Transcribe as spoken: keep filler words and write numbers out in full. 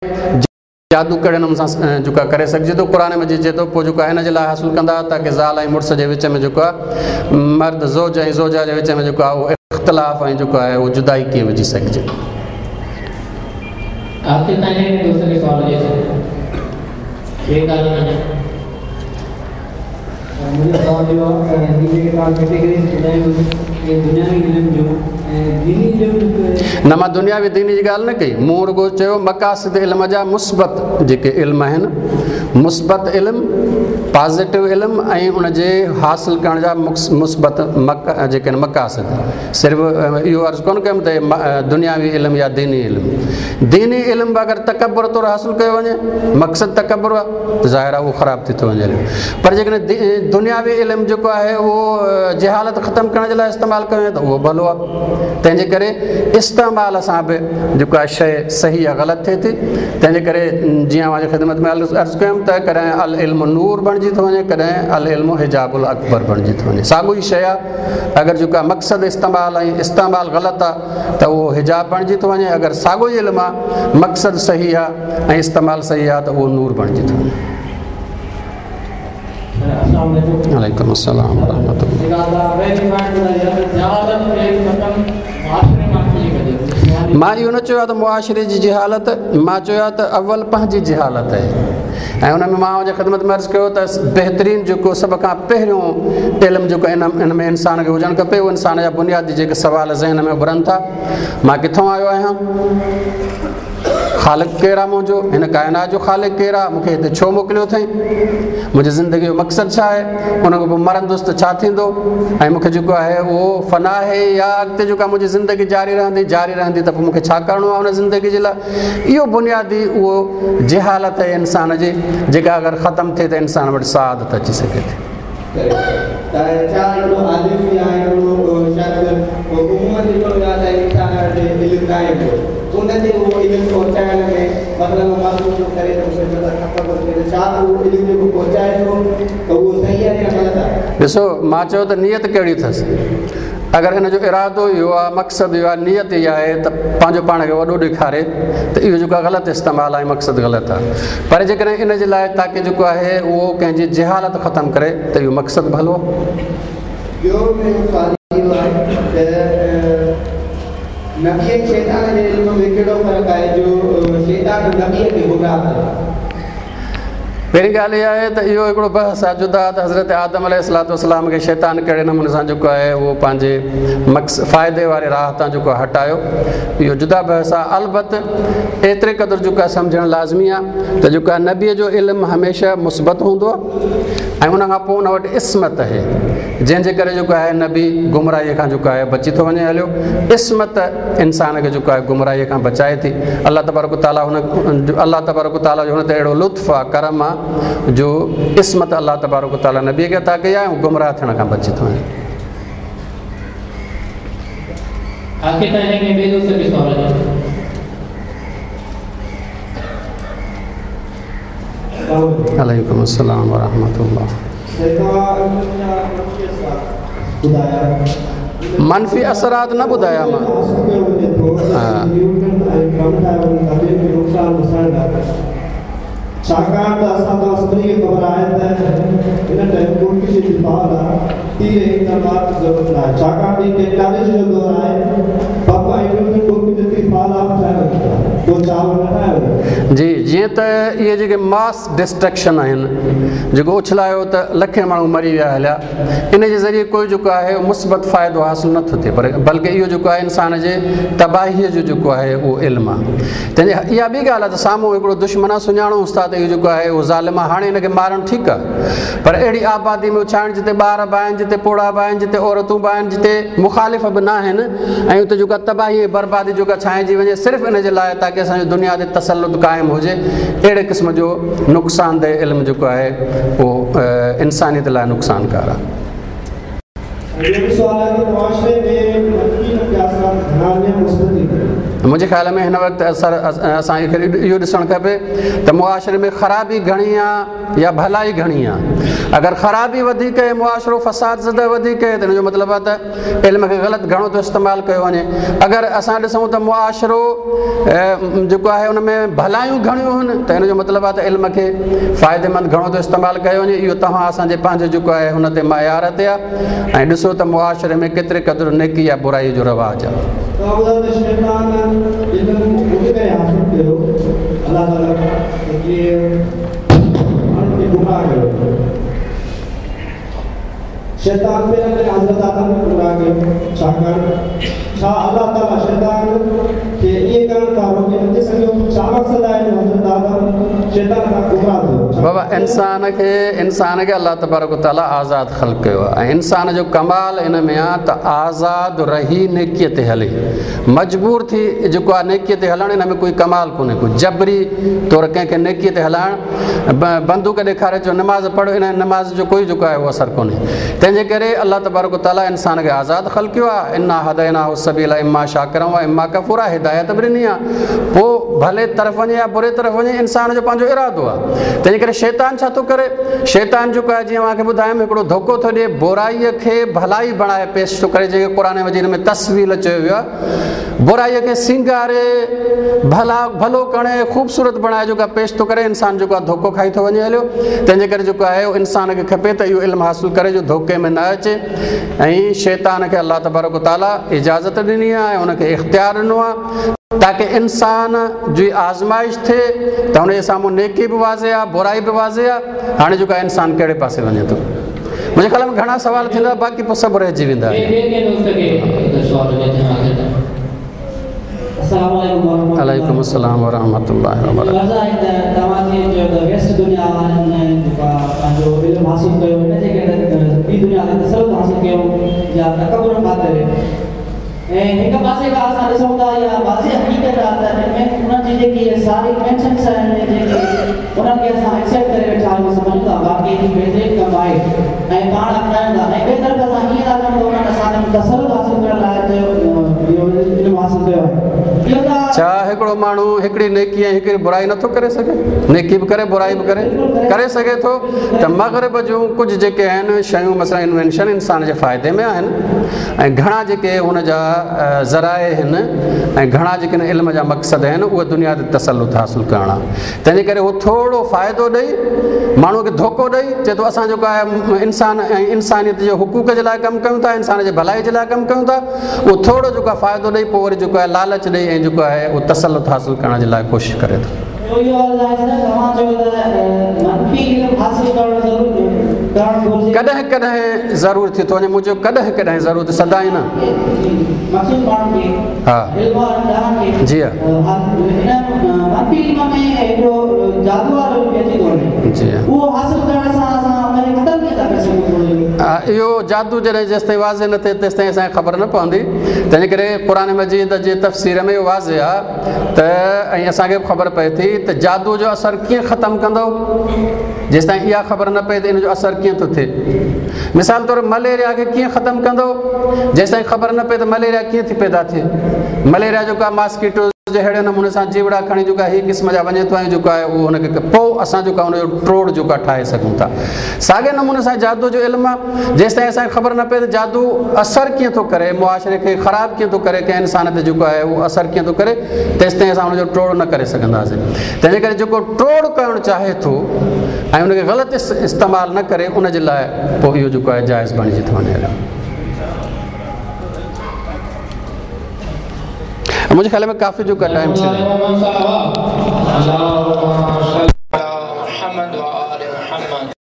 जादू कहिड़े नमूने सां जेको आहे करे सघिजे थो। क़ुर मजीद चए थो पोइ जेको आहे हिन जे लाइ हासिलु कंदा ताकी ज़ाल ऐं मुड़ुस जे विच में जेको आहे मर्द ज़ोज ऐं ज़ोजा जे विच में जेको आहे उहो इख़्तिलाफ़ ऐं जेको आहे उहो जुदाई कीअं विझी सघिजे। न मां दुनियावी दीनी जी ॻाल्हि न कई, मूं रुगो चयो मक़ासिद इल्म जा मुस्बत जेके इल्म आहिनि, मुस्बत इल्म, पॉज़िटिव इल्म ऐं उनजे हासिल करण जा मुस्बत जेके आहिनि मक़ासिद। सिर्फ़ु इहो अर्ज़ु कोन कयुमि त दुनियावी इल्म या दीनी इल्म, दीनी इल्म बि अगरि तकबुर तौरु हासिलु कयो वञे, मक़सदु तकबुर आहे त ज़ाहिर आहे उहो ख़राबु थी थो वञे। पर जेकॾहिं दुनियावी इल्म जेको आहे उहो जहालत ख़तमु करण जे लाइ इस्तेमालु कयो वञे त उहो भलो आहे। तंहिंजे करे इस्तेमाल सां बि जेको आहे शइ सही या ग़लति थिए थी। तंहिंजे करे जीअं अव्हांजी ख़िदमत में अर्ज़ु कयुमि त कॾहिं अल इल्म नूर बणिजी थो वञे, कॾहिं अल इल्म हिजाबुल अकबर बणिजी थो वञे। साॻियो ई शइ आहे, अगरि जेको आहे मक़सदु इस्तेमाल ऐं इस्तेमालु ग़लति आहे त उहो हिजाब बणिजी थो वञे, अगरि साॻियो ई इल्मु आहे मक़सदु सही आहे ऐं इस्तेमालु सही आहे त उहो नूर बणिजी थो वञे। वालेकुम अस्सलाम वरहमतुल्लाह। मां इहो न चयो आहे त मुआशिरे जी जहालत, मां चयो आहे त अवल पंहिंजी जहालत आहे ऐं हुन में मां हुनजे ख़िदमत में अर्ज़ु कयो त बहितरीन जेको सभ खां पहिरियों इल्मु जेको इन इन में इंसान खे हुजणु खपे उहो इंसान जा बुनियादी जेके सवाल ज़हन में उभरनि था, मां किथां आयो आहियां, ख़ालिक़ केरु आहे मुंहिंजो, हिन काइनात जो ख़ालिक़ केरु आहे, मूंखे हिते छो मोकिलियो अथई, मुंहिंजी ज़िंदगी जो मक़सदु छा आहे, उन खां पोइ मरंदुसि त छा थींदो ऐं मूंखे जेको आहे उहो फना आहे या अॻिते जेका मुंहिंजी ज़िंदगी जारी रहंदी, जारी रहंदी त पोइ मूंखे छा करिणो आहे हुन ज़िंदगी जे लाइ। इहो बुनियादी उहो जहालत आहे इंसान जी, जेका अगरि ख़तमु थिए त इंसान वटि सआदत अची सघे थी। ॾिसो मां चयो त नीयत कहिड़ी अथसि, अगरि हिन जो इरादो इहो आहे, मक़सदु इहो आहे, नीयत इहा आहे त पंहिंजो पाण खे वॾो ॾेखारे त इहो जेको आहे ग़लति इस्तेमालु आहे, मक़सदु ग़लति आहे। पर जेकॾहिं इन जे लाइ ताकी जेको आहे उहो कंहिंजी जहालत ख़तमु करे त इहो मक़सदु भलो आहे। नबी ऐं शैतान जे इल्म में कहिड़ो फ़र्क़ु आहे जो शैतान नबीअ खे गुमराह करे? पहिरीं ॻाल्हि इहा आहे त इहो हिकिड़ो बहस आहे जुदा त हज़रत आदम अलैहिस्सलातु वस्सलाम खे शैतान कहिड़े नमूने सां जेको आहे उहो पंहिंजे मक़स फ़ाइदे वारे राह तां जेको हटायो, इहो जुदा बहस आहे। अलबत एतिरे क़दुरु जेको आहे सम्झणु लाज़मी आहे त जेको आहे नबीअ जो इल्मु हमेशह मुस्बत हूंदो आहे ऐं उन खां पोइ उन वटि इस्मत आहे, जंहिंजे करे जेको आहे नबी गुमराहीअ खां जेको आहे बची थो वञे हलियो। इस्मत इंसान खे जेको आहे गुमराहीअ खां बचाए थी। अलाह तबारक ताला हुन अलाह तबारक ताला जो हुन ते अहिड़ो लुत्फ़ु आहे, करम आहे जो इस्मत अलाह तबारक ताला नबीअ खे अता कई आहे ऐं गुमराह थियण खां बची थो वञे। वालेकुम अस्सलाम वरहमतुल्लाह। मनफ़ी असरात न ॿुधाया मां। छाकाणि त असां तव्हां सभिनी खे ख़बर आहे त हिन टाइम मुल्क जे दिफ़ाअ लाइ तीर ऐं तलवार जी ज़रूरत न आहे, छाकाणि त टेक्नोलॉजी जो दौर आहे, बम ऐं मुल्क जे दिफ़ाअ लाइ ठाहे वञनि था, पोइ छा न ठाहे वञे? जी, जीअं त इहे जेके मास डिस्ट्रक्शन आहिनि, जेको उछलायो त लखे माण्हू मरी विया हलिया, इन जे ज़रिए कोई जेको आहे मुस्बत फ़ाइदो हासिलु नथो थिए, पर बल्कि इहो जेको आहे इंसान जे तबाहीअ जो जेको आहे उहो इल्मु आहे। तंहिंजे इहा ॿी ॻाल्हि आहे त साम्हूं हिकिड़ो दुश्मन आहे, सुञाणोसि था त इहो जेको आहे उहो ज़ालिम आहे, हाणे हिनखे मारणु ठीकु आहे, पर अहिड़ी आबादी में उछाइणु जिते ॿार बि आहिनि, जिते पोड़ा बि आहिनि, जिते औरतूं बि आहिनि, जिते मुखालिफ़ बि न आहिनि ऐं उते जेको आहे तबाही ऐं बर्बादी जेका छाइजी वञे सिर्फ़ु इन जे लाइ ताकी असांजो दुनिया ते तसलुत क़ाइमु हुजे, अहिड़े क़िस्म जो नुक़सानदेह इल्मु जेको आहे उहो इंसानियत लाइ नुक़सानकार आहे। मुंहिंजे ख़्याल में हिन वक़्तु असांखे इहो ॾिसणु खपे त मुआशरे में ख़राबी घणी आहे या भलाई घणी आहे। अगरि ख़राबी वधीक आहे, मुआशरो फसाद ज़दा वधीक आहे, त हिन जो मतिलबु आहे त इल्म खे ग़लति घणो थो इस्तेमालु कयो वञे। अगरि असां ॾिसूं त मुआशरो जेको आहे उन में भलायूं घणियूं आहिनि त हिन जो मतिलबु आहे त इल्म खे फ़ाइदेमंद घणो थो इस्तेमालु कयो वञे। इहो तव्हां असांजे पंहिंजो जेको आहे हुन ते मायार ते आहे ऐं ॾिसो त मुआशरे में केतिरे क़दुरु नेकी या बुराई जो रिवाज आहे। शैतान पहिरियों हज़रत आदम खे गुमराह कयो, छाकाणि छा अलाह ताला शैतान खे ईअं करण खां रोके नथी सघियो? छा मक़सदु आहे जो हज़रत आदम शैतान खां गुमराह थियो? बाबा इंसान खे इंसान खे अलाह तबारक ताला आज़ाद ख़ल्क कयो आहे ऐं इंसान जो कमाल इन में आहे त आज़ाद रही नेकीअ ते हले, मजबूर थी जेको आहे नेकीअ ते हलणु इन में कोई कमाल कोन्हे को। जबरी तौर कंहिंखे नेकीअ ते हलाइणु, बंदूक ॾेखारे चओ नमाज़ पढ़ो, इन नमाज़ जो कोई जेको आहे उहो असरु कोन्हे। तंहिंजे करे अलाह तबारक ताला इंसान खे आज़ाद ख़ल्क कयो आहे। इन्ना हदैनाहु सबीला इम्मा शाकिरा व इम्मा कफूरा, हिदायत बि ॾिनी आहे, पोइ भले तरफ़ वञे या बुरे तरफ़ वञे इंसान जो पंहिंजो इरादो आहे। तंहिंजे करे शैतान छा थो करे, शैतान जेको आहे जीअं तव्हांखे ॿुधायुमि हिकिड़ो धोखो थो ॾिए, बुराईअ खे भलाई बणाए पेश थो करे, जंहिंखे क़ुरान मजीद में तस्वील चयो वियो आहे। बुराईअ खे सिंगारे भला भलो करे ख़ूबसूरत बणाए जेको आहे पेश थो करे, इंसान जेको आहे धोखो खाई थो वञे हलियो। तंहिंजे करे जेको आहे इंसान खे खपे त इहो इल्मु हासिलु करे जो धोखे में न अचे। ऐं शैतान खे अलाह तबारक ताला इजाज़त ॾिनी आहे ऐं हुनखे इख़्तियार ॾिनो आहे ताकि इंसान जी आज़माइश थिए त हुनजे साम्हूं नेकी बि वाज़े आहे, बुराई बि वाज़े आहे। हाणे जेको आहे इंसान कहिड़े पासे वञे थो। मुंहिंजे ख़्याल में घणा सवाल थींदा, बाक़ी पोइ सभु रहिजी वेंदा। वालेकुम अस्सलाम व रहमतुल्लाहि व बरकातहू। ऐं हिक पासे खां असां ॾिसूं था इहा वाज़े हक़ीक़त आहे त उन्हनि जी जेकी सारी इन्वेंशन्स आहिनि जेके उन्हनि खे असां एक्सेप्ट करे वेठा आहियूं, सम्झूं था वाकई बहितरीन कमु आहे ऐं पाण अपनायूं था। ऐं ॿिए तरफ़ असां ईअं था कयूं त उन्हनि असांजो तसल्लुत हासिलु करण लाइ इहो इल्मु हासिलु कयो आहे। छा हिकिड़ो माण्हू हिकिड़ी नेकी ऐं हिकिड़ी बुराई नथो करे सघे? नेकी बि करे बुराई बि करे करे सघे थो। त मग़रिब जूं कुझु जेके आहिनि शयूं मसला इन्वेंशन इंसान जे फ़ाइदे में आहिनि ऐं घणा जेके हुनजा ज़राए आहिनि ऐं घणा जेके इल्म जा मक़सद आहिनि उहे दुनिया ते तसलुत हासिलु करणु आहे। तंहिंजे करे उहो थोरो फ़ाइदो ॾेई माण्हूअ खे धोखो ॾेई चए थो असां जेको आहे इंसान ऐं इंसानियत जे हुकूक जे लाइ कमु कयूं था, इंसान जे भलाई जे लाइ कमु कयूं था, उहो थोरो जेको आहे फ़ाइदो ॾेई पोइ वरी जेको आहे लालच ॾेई ऐं जेको आहे उहो तसलुत हासिलु करण जे लाइ कोशिशि करे थो। कॾहिं कॾहिं ज़रूरु थी थो वञे, मुंहिंजो कॾहिं कॾहिं ज़रूरु, सदाई न। हा जी हा जी हा, इहो जादू जॾहिं जेसि ताईं वाज़े न थिए तेसि ताईं असांखे ख़बर न पवंदी। तंहिंजे करे क़ुरान मजीद जे तफ़सीर में इहो वाज़े आहे त ऐं असांखे बि ख़बर पए थी त जादू जो असरु कीअं ख़तमु कंदो, जेसि ताईं इहा ख़बर न पए त इन जो असरु कीअं थो थिए। मिसाल तौरु मलेरिया खे कीअं ख़तमु कंदो, जेसि ताईं ख़बर न पए त मलेरिया कीअं थी पैदा थिए। मलेरिया जेको आहे मॉस्किटो जे अहिड़े नमूने सां जीवड़ा खणी जेको आहे हीअ क़िस्म जा वञे थो ऐं जेको आहे उहो हुनखे पोइ असां जेको आहे हुनजो टोड़ जेको आहे ठाहे सघूं था। साॻे नमूने सां जादू जो इल्मु आहे, जेसि ताईं असांखे ख़बर न पए त जादू असरु कीअं थो करे, मुआशरे खे ख़राबु कीअं थो करे, कंहिं इंसान ते जेको आहे उहो असरु कीअं थो करे, तेसि ताईं असां हुनजो टोड़ न करे सघंदासीं। तंहिंजे करे जेको टोड़ करणु चाहे थो ऐं हुनखे ग़लति इस्तेमालु न करे उन जे लाइ पोइ इहो जेको आहे जाइज़ बणिजी थो वञे। मुंहिंजे ख़्याल में काफ़ी जो टाइम थी।